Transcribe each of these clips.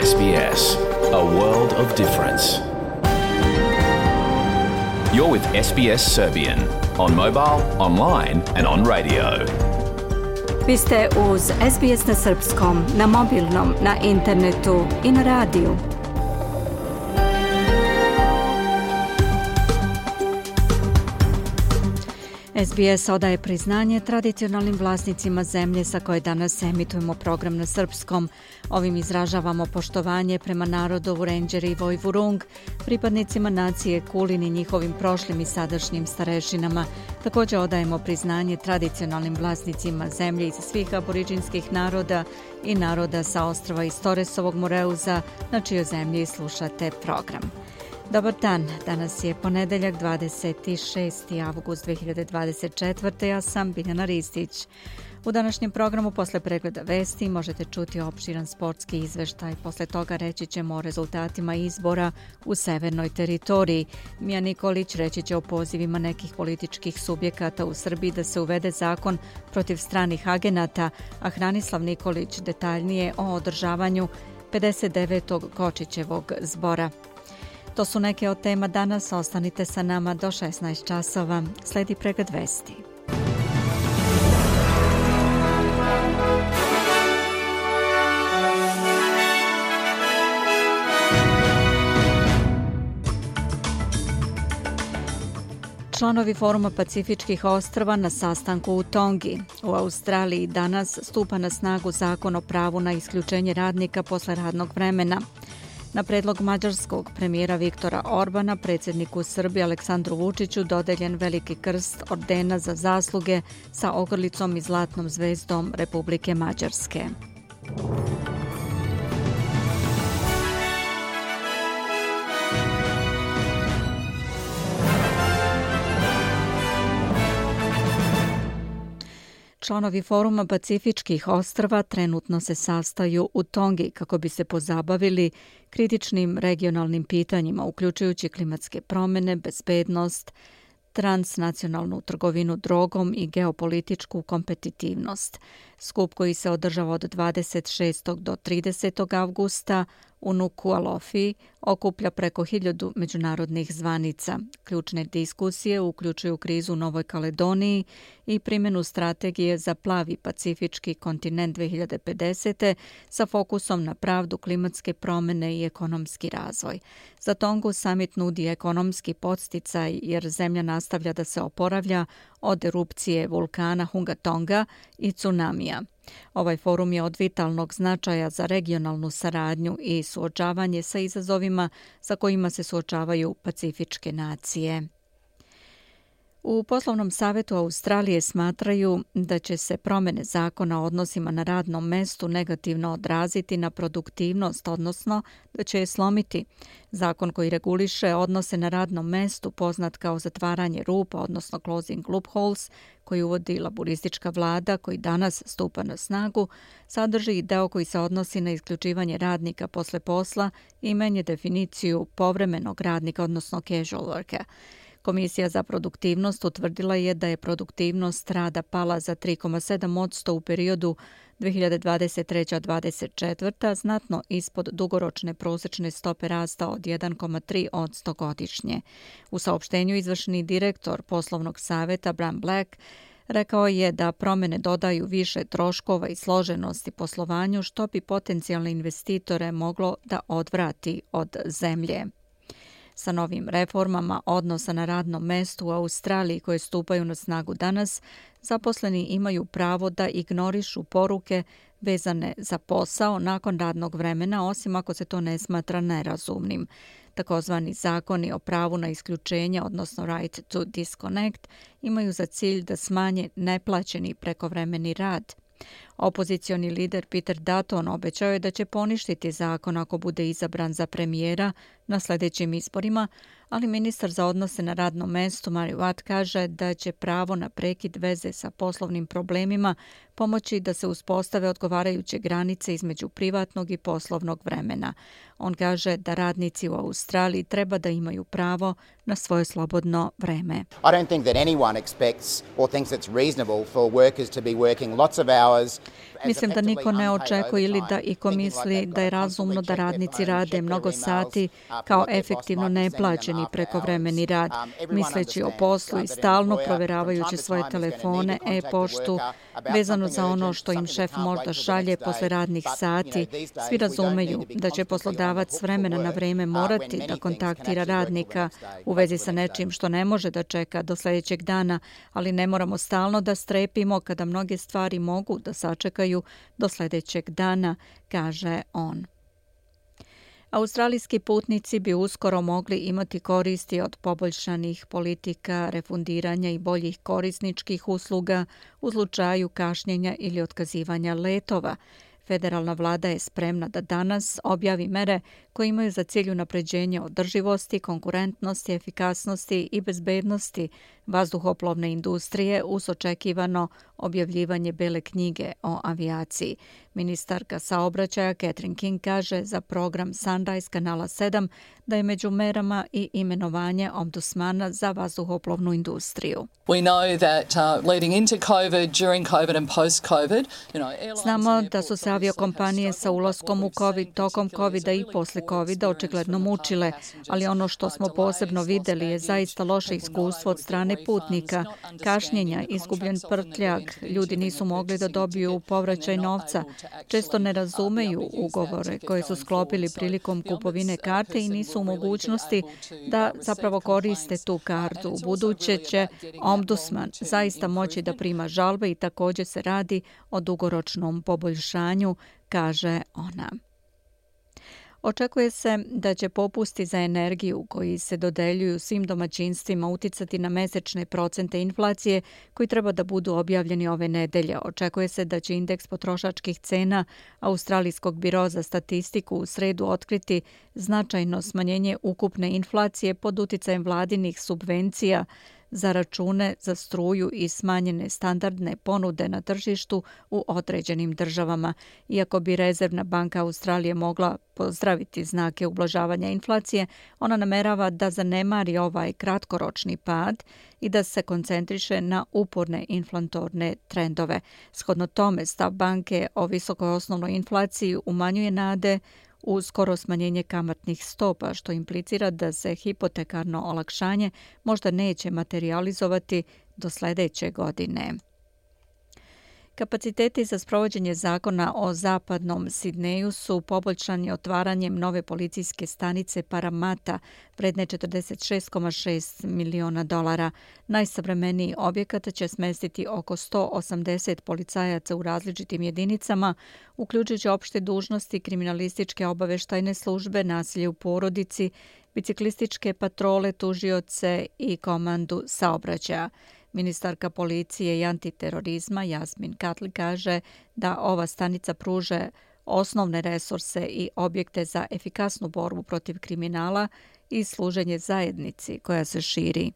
SBS, a world of difference. You're with SBS Serbian on mobile, online and on radio. Vi ste uz SBS na srpskom, na mobilnom, na internetu i na radiju. SBS odaje priznanje tradicionalnim vlasnicima zemlje sa koje danas emitujemo program na srpskom. Ovim izražavamo poštovanje prema narodu Vurenđeri i Vojvurung, pripadnicima nacije Kulin i njihovim prošlim i sadašnjim starešinama. Također odajemo priznanje tradicionalnim vlasnicima zemlje iz svih aboriđinskih naroda i naroda sa ostrva iz Toresovog Moreuza, na čijoj zemlji slušate program. Dobar dan, danas je ponedeljak 26. avgust 2024. Ja sam Biljana Ristić. U današnjem programu posle pregleda vesti možete čuti opširan sportski izveštaj. Posle toga reći ćemo o rezultatima izbora u severnoj teritoriji. Mija Nikolić reći će o pozivima nekih političkih subjekata u Srbiji da se uvede zakon protiv stranih agenata, a Hranislav Nikolić detaljnije o održavanju 59. Kočićevog zbora. To su neke od tema danas, ostanite sa nama do 16 časova. Sledi pregled vesti. Članovi Foruma Pacifičkih ostrva na sastanku u Tongi. U Australiji danas stupa na snagu zakon o pravu na isključenje radnika posle radnog vremena. Na predlog mađarskog premijera Viktora Orbana, predsjedniku Srbije Aleksandru Vučiću dodeljen veliki krst ordena za zasluge sa ogrlicom i zlatnom zvezdom Republike Mađarske. Članovi Foruma Pacifičkih ostrva trenutno se sastaju u Tongi kako bi se pozabavili kritičnim regionalnim pitanjima, uključujući klimatske promjene, bezbednost, transnacionalnu trgovinu drogom i geopolitičku kompetitivnost. Skup koji se održava od 26. do 30. avgusta u Nuku'alofi okuplja preko 1000 međunarodnih zvanica. Ključne diskusije uključuju krizu u Novoj Kaledoniji i primjenu strategije za plavi pacifički kontinent 2050. sa fokusom na pravdu, klimatske promjene i ekonomski razvoj. Za Tongu summit nudi ekonomski podsticaj jer zemlja nastavlja da se oporavlja od erupcije vulkana Hunga Tonga i tsunamija. Ovaj forum je od vitalnog značaja za regionalnu saradnju i suočavanje sa izazovima sa kojima se suočavaju pacifičke nacije. U poslovnom savjetu Australije smatraju da će se promjene zakona o odnosima na radnom mestu negativno odraziti na produktivnost, odnosno da će je slomiti. Zakon koji reguliše odnose na radnom mestu, poznat kao zatvaranje rupa, odnosno closing loopholes, koji uvodi laburistička vlada, koji danas stupa na snagu, sadrži i deo koji se odnosi na isključivanje radnika posle posla i menja definiciju povremenog radnika, odnosno casual worker. Komisija za produktivnost utvrdila je da je produktivnost rada pala za 3,7% u periodu 2023-2024, znatno ispod dugoročne prosječne stope rasta od 1,3% godišnje. U saopštenju izvršni direktor poslovnog savjeta Bram Black rekao je da promjene dodaju više troškova i složenosti poslovanju, što bi potencijalne investitore moglo da odvrati od zemlje. Sa novim reformama odnosa na radnom mestu u Australiji koje stupaju na snagu danas, zaposleni imaju pravo da ignorišu poruke vezane za posao nakon radnog vremena, osim ako se to ne smatra nerazumnim. Takozvani zakoni o pravu na isključenje, odnosno right to disconnect, imaju za cilj da smanje neplaćeni prekovremeni rad. Opozicioni lider Peter Dutton obećao je da će poništiti zakon ako bude izabran za premijera na sljedećim izborima, ali ministar za odnose na radnom mestu Mary Watt kaže da će pravo na prekid veze sa poslovnim problemima pomoći da se uspostave odgovarajuće granice između privatnog i poslovnog vremena. On kaže da radnici u Australiji treba da imaju pravo na svoje slobodno vreme. I don't think that anyone expects or thinks it's reasonable for workers to be working lots of hours Mislim da niko ne očekuje ili da iko misli da je razumno da radnici rade mnogo sati kao efektivno neplaćeni prekovremeni rad, misleći o poslu i stalno proveravajući svoje telefone, e-poštu, vezano za ono što im šef možda šalje posle radnih sati. Svi razumeju da će poslodavac s vremena na vreme morati da kontaktira radnika u vezi sa nečim što ne može da čeka do sljedećeg dana, ali ne moramo stalno da strepimo kada mnoge stvari mogu da sačekaju do sljedećeg dana, kaže on. Australijski putnici bi uskoro mogli imati koristi od poboljšanih politika, refundiranja i boljih korisničkih usluga u slučaju kašnjenja ili otkazivanja letova. Federalna vlada je spremna da danas objavi mere koje imaju za cilj unapređenje održivosti, konkurentnosti, efikasnosti i bezbednosti vazduhoplovne industrije uz očekivano objavljivanje Bele knjige o avijaciji. Ministarka saobraćaja Catherine King kaže za program Sunrise kanala 7 da je među merama i imenovanje ombudsmana za vazduhoplovnu industriju. Znamo da su se aviokompanije sa ulaskom u COVID, tokom COVID-a i posle COVID-a očigledno mučile, ali ono što smo posebno videli je zaista loše iskustvo od strane putnika, kašnjenja, izgubljen prtljag, ljudi nisu mogli da dobiju povraćaj novca, često ne razumeju ugovore koje su sklopili prilikom kupovine karte i nisu u mogućnosti da zapravo koriste tu kartu. U buduće će ombudsman zaista moći da prima žalbe i također se radi o dugoročnom poboljšanju, kaže ona. Očekuje se da će popusti za energiju koji se dodeljuju svim domaćinstvima uticati na mesečne procente inflacije koji treba da budu objavljeni ove nedelje. Očekuje se da će indeks potrošačkih cena Australijskog biroa za statistiku u sredu otkriti značajno smanjenje ukupne inflacije pod uticajem vladinih subvencija za račune za struju i smanjene standardne ponude na tržištu u određenim državama. Iako bi Rezervna banka Australije mogla pozdraviti znake ublažavanja inflacije, ona namerava da zanemari ovaj kratkoročni pad i da se koncentriše na uporne inflatorne trendove. Shodno tome, stav banke o visokoj osnovnoj inflaciji umanjuje nade u skoro smanjenje kamatnih stopa, što implicira da se hipotekarno olakšanje možda neće materializovati do sljedeće godine. Kapaciteti za sprovođenje zakona o zapadnom Sidneju su poboljšani otvaranjem nove policijske stanice Parramatta vredne $46,6 miliona. Najsavremeniji objekat će smestiti oko 180 policajaca u različitim jedinicama, uključujući opšte dužnosti, kriminalističke obaveštajne službe, nasilje u porodici, biciklističke patrole, tužioce i komandu saobraćaja. Ministarka policije i antiterorizma Jasmin Katli kaže da ova stanica pruže osnovne resurse i objekte za efikasnu borbu protiv kriminala i služenje zajednici koja se širi.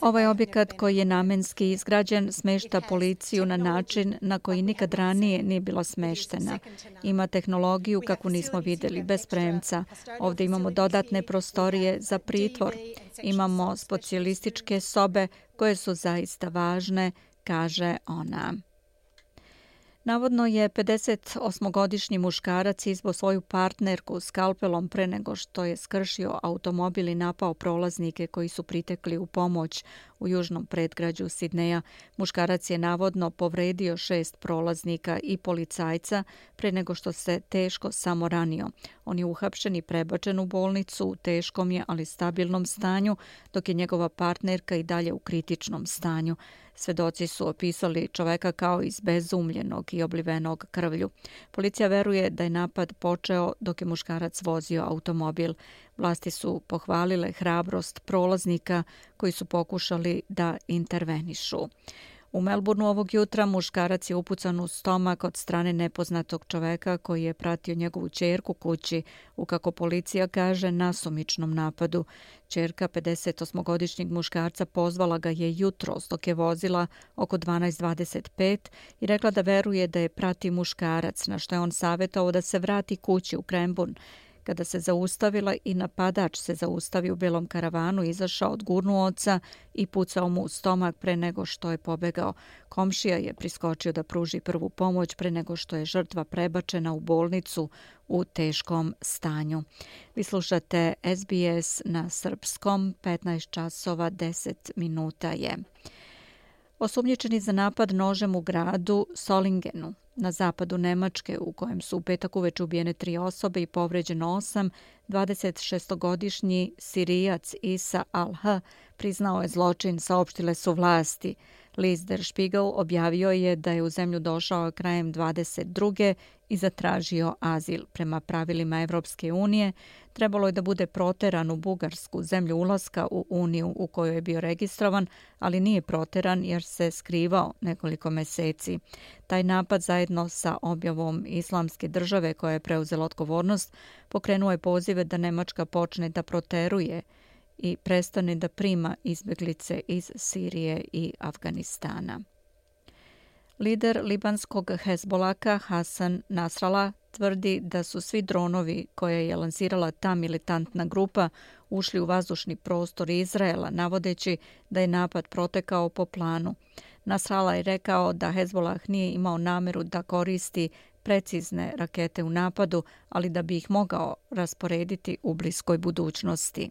Ovaj objekat koji je namenski izgrađen smešta policiju na način na koji nikad ranije nije bila smeštena. Ima tehnologiju kakvu nismo vidjeli, bez premca. Ovdje imamo dodatne prostorije za pritvor. Imamo specijalističke sobe koje su zaista važne, kaže ona. Navodno je 58-godišnji muškarac izbo svoju partnerku skalpelom pre nego što je skršio automobil i napao prolaznike koji su pritekli u pomoć u južnom predgrađu Sidneja. Muškarac je navodno povredio 6 prolaznika i policajca pre nego što se teško samo ranio. On je uhapšen i prebačen u bolnicu u teškom je, ali stabilnom stanju, dok je njegova partnerka i dalje u kritičnom stanju. Svedoci su opisali čoveka kao izbezumljenog i oblivenog krvlju. Policija veruje da je napad počeo dok je muškarac vozio automobil. Vlasti su pohvalile hrabrost prolaznika koji su pokušali da intervenišu. U Melbourneu ovog jutra muškarac je upucan u stomak od strane nepoznatog čoveka koji je pratio njegovu ćerku kući u, kako policija kaže, nasumičnom napadu. Ćerka 58-godišnjeg muškarca pozvala ga je jutros dok je vozila oko 12:25 i rekla da veruje da je prati muškarac, na što je on savjetovao da se vrati kući u Cranbourne. kada se zaustavila i napadač se zaustavio u belom karavanu, izašao, odgurnuo oca i pucao mu u stomak pre nego što je pobegao. Komšija je priskočio da pruži prvu pomoć pre nego što je žrtva prebačena u bolnicu u teškom stanju. Vi slušate SBS na srpskom, 15 časova 10 minuta je. Osumnjičeni za napad nožem u gradu Solingenu na zapadu Nemačke, u kojem su u petak uveče ubijene 3 osobe i povređeno 8, 26-godišnji Sirijac Isa Al-H priznao je zločin, saopštile su vlasti. List Der Spiegel objavio je da je u zemlju došao krajem 22. i zatražio azil. Prema pravilima Evropske unije trebalo je da bude proteran u Bugarsku, zemlju ulaska u Uniju u kojoj je bio registrovan, ali nije proteran jer se skrivao nekoliko meseci. Taj napad zajedno sa objavom Islamske države koja je preuzela odgovornost pokrenuo je pozive da Nemačka počne da proteruje i prestane da prima izbjeglice iz Sirije i Afganistana. Lider libanskog Hezbolaka Hasan Nasrallah tvrdi da su svi dronovi koje je lansirala ta militantna grupa ušli u vazdušni prostor Izraela, navodeći da je napad protekao po planu. Nasrallah je rekao da Hezbollah nije imao nameru da koristi precizne rakete u napadu, ali da bi ih mogao rasporediti u bliskoj budućnosti.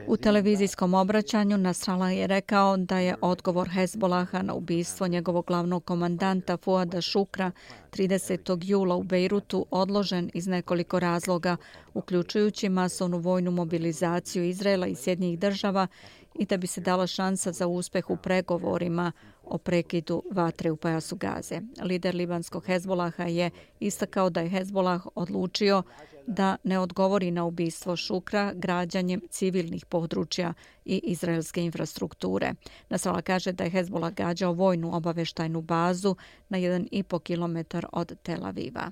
U televizijskom obraćanju Nasrallah je rekao da je odgovor Hezbolaha na ubistvo njegovog glavnog komandanta Fuada Šukra 30. jula u Bejrutu odložen iz nekoliko razloga, uključujući masovnu vojnu mobilizaciju Izraela i Sjedinjenih država i da bi se dala šansa za uspeh u pregovorima o prekidu vatre u pojasu Gaze. Lider libanskog Hezbolaha je istakao da je Hezbolah odlučio da ne odgovori na ubistvo Šukra građanjem civilnih područja i izraelske infrastrukture. Nasrallah kaže da je Hezbolah gađao vojnu obaveštajnu bazu na 1,5 kilometar od Tel Aviva.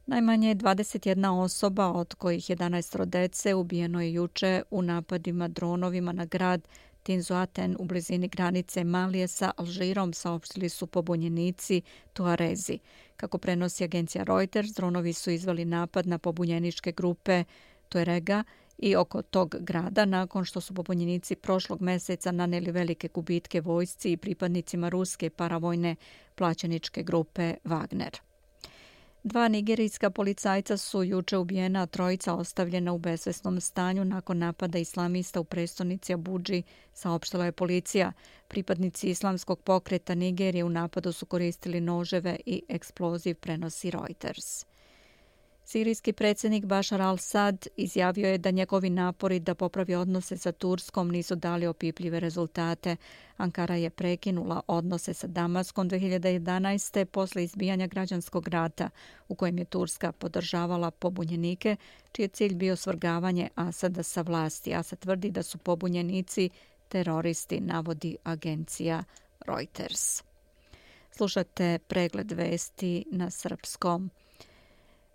Najmanje 21 osoba, od kojih 11 dece, ubijeno je juče u napadima dronovima na grad Tinzuaten u blizini granice Malije sa Alžirom, saopštili su pobunjenici Tuarezi. Kako prenosi agencija Reuters, dronovi su izveli napad na pobunjeničke grupe Tuarega i oko tog grada nakon što su pobunjenici prošlog meseca naneli velike gubitke vojsci i pripadnicima ruske paravojne plaćeničke grupe Wagner. 2 nigerijska policajca su juče ubijena, a 3 ostavljena u bezvesnom stanju nakon napada islamista u prestonici Abudži, saopštila je policija. Pripadnici islamskog pokreta Nigerije u napadu su koristili noževe i eksploziv, prenosi Reuters. Sirijski predsjednik Bashar al-Assad izjavio je da njegovi napori da popravi odnose sa Turskom nisu dali opipljive rezultate. Ankara je prekinula odnose sa Damaskom 2011. posle izbijanja građanskog rata u kojem je Turska podržavala pobunjenike, čiji je cilj bio svrgavanje Asada sa vlasti. Asad tvrdi da su pobunjenici teroristi, navodi agencija Reuters. Slušate pregled vesti na srpskom.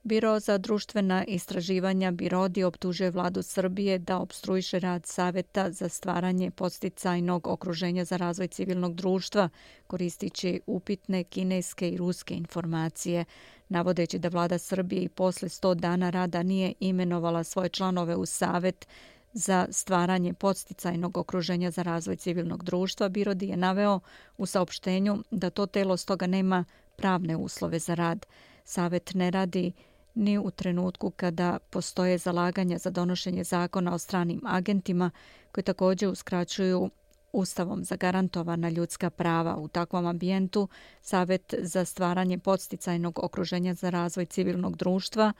Biro za društvena istraživanja BIRODI optužuje vladu Srbije da opstruiše rad Saveta za stvaranje podsticajnog okruženja za razvoj civilnog društva, koristići upitne kineske i ruske informacije, navodeći da vlada Srbije i posle 100 dana rada nije imenovala svoje članove u Savet za stvaranje podsticajnog okruženja za razvoj civilnog društva. BIRODI je naveo u saopštenju da to telo stoga nema pravne uslove za rad. Savet ne radi ni u trenutku kada postoje zalaganja za donošenje zakona o stranim agentima koji također uskraćuju Ustavom zagarantovana ljudska prava. U takvom ambijentu Savet za stvaranje podsticajnog okruženja za razvoj civilnog društva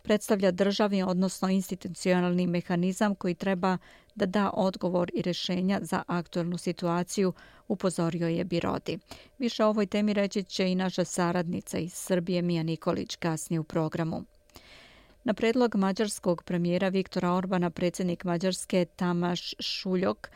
predstavlja državni, odnosno institucionalni mehanizam koji treba da da odgovor i rješenja za aktuelnu situaciju, upozorio je BIRODI. Više o ovoj temi reći će i naša saradnica iz Srbije Mija Nikolić kasnije u programu. Na predlog mađarskog premijera Viktora Orbana, predsjednik Mađarske Tamaš Šuljok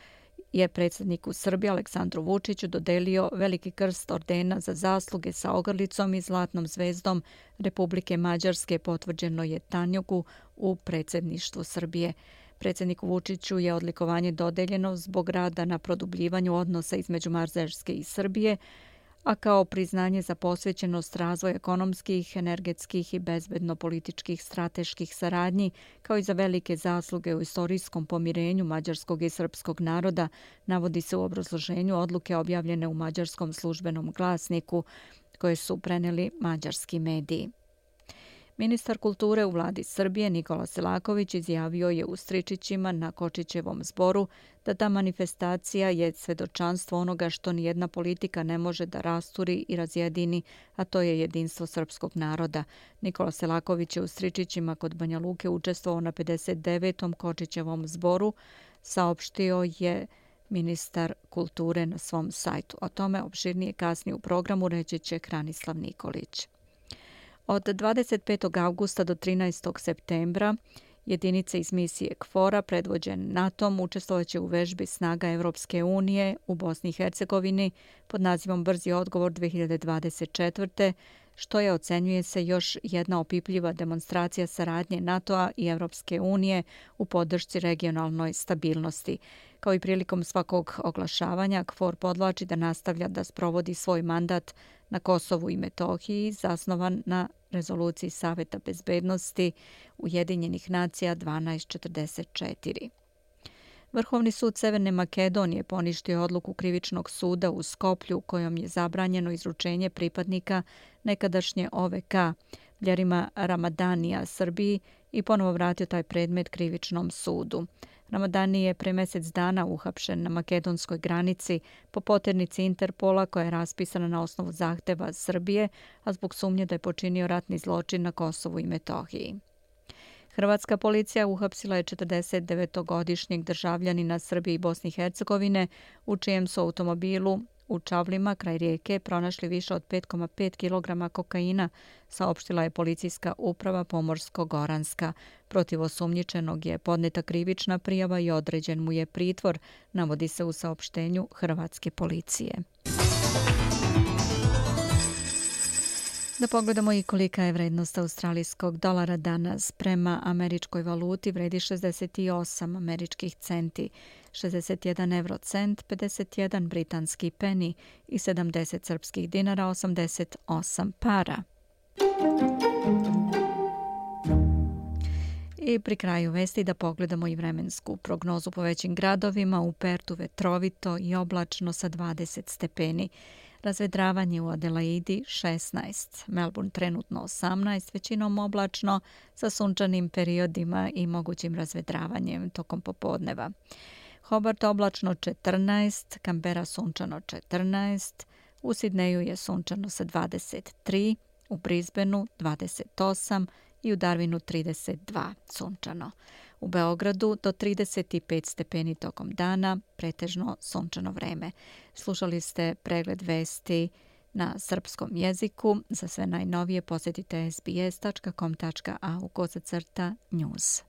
je predsjedniku Srbije Aleksandru Vučiću dodelio veliki krst ordena za zasluge sa ogrlicom i zlatnom zvezdom Republike Mađarske, potvrđeno je Tanjugu u predsjedništvu Srbije. Predsjedniku Vučiću je odlikovanje dodeljeno zbog rada na produbljivanju odnosa između Mađarske i Srbije, a kao priznanje za posvećenost razvoja ekonomskih, energetskih i bezbedno-političkih strateških saradnji, kao i za velike zasluge u istorijskom pomirenju mađarskog i srpskog naroda, navodi se u obrazloženju odluke objavljene u mađarskom službenom glasniku, koje su preneli mađarski mediji. Ministar kulture u vladi Srbije Nikola Selaković izjavio je u Stričićima na Kočićevom zboru da ta manifestacija je svedočanstvo onoga što nijedna politika ne može da rasturi i razjedini, a to je jedinstvo srpskog naroda. Nikola Selaković je u Stričićima kod Banja Luke učestvovao na 59. Kočićevom zboru, saopštio je ministar kulture na svom sajtu. O tome opširnije kasnije u programu reći će Hranislav Nikolić. Od 25. augusta do 13. septembra jedinice iz misije KFOR-a predvođene NATO-om učestvovaće u vežbi snaga Evropske unije u Bosni i Hercegovini pod nazivom Brzi odgovor 2024. što je, ocenjuje se, još jedna opipljiva demonstracija saradnje NATO-a i Evropske unije u podršci regionalnoj stabilnosti. Kao i prilikom svakog oglašavanja, KFOR podvlači da nastavlja da sprovodi svoj mandat na Kosovu i Metohiji, zasnovan na rezoluciji Saveta bezbednosti Ujedinjenih nacija 1244. Vrhovni sud Severne Makedonije poništio odluku krivičnog suda u Skoplju kojom je zabranjeno izručenje pripadnika nekadašnje OVK Ljerima Ramadanija Srbiji i ponovo vratio taj predmet krivičnom sudu. Ramadani je pre mjesec dana uhapšen na makedonskoj granici po poternici Interpola koja je raspisana na osnovu zahteva Srbije, a zbog sumnje da je počinio ratni zločin na Kosovu i Metohiji. Hrvatska policija uhapsila je 49-godišnjeg državljanina Srbije i Bosne i Hercegovine u čijem su automobilu u Čavlima kraj rijeke pronašli više od 5,5 kg kokaina, saopštila je policijska uprava Pomorsko-Goranska. Protiv osumnjičenog je podneta krivična prijava i određen mu je pritvor, navodi se u saopštenju hrvatske policije. Da pogledamo i kolika je vrednost australijskog dolara danas. Prema američkoj valuti vredi 68 američkih centi, 61 eurocent, 51 britanski peni i 70 srpskih dinara, 88 para. I pri kraju vesti da pogledamo i vremensku prognozu po većim gradovima. U Pertu vetrovito i oblačno sa 20 stepeni. Razvedravanje u Adelaidi 16, Melbourne trenutno 18, većinom oblačno sa sunčanim periodima i mogućim razvedravanjem tokom popodneva. Hobart oblačno 14, Canberra sunčano 14, u Sidneju je sunčano sa 23, u Brisbaneu 28 i u Darwinu 32 sunčano. U Beogradu do 35 stepeni tokom dana, pretežno sunčano vreme. Slušali ste pregled vesti na srpskom jeziku. Za sve najnovije posjetite sbs.com.au/news.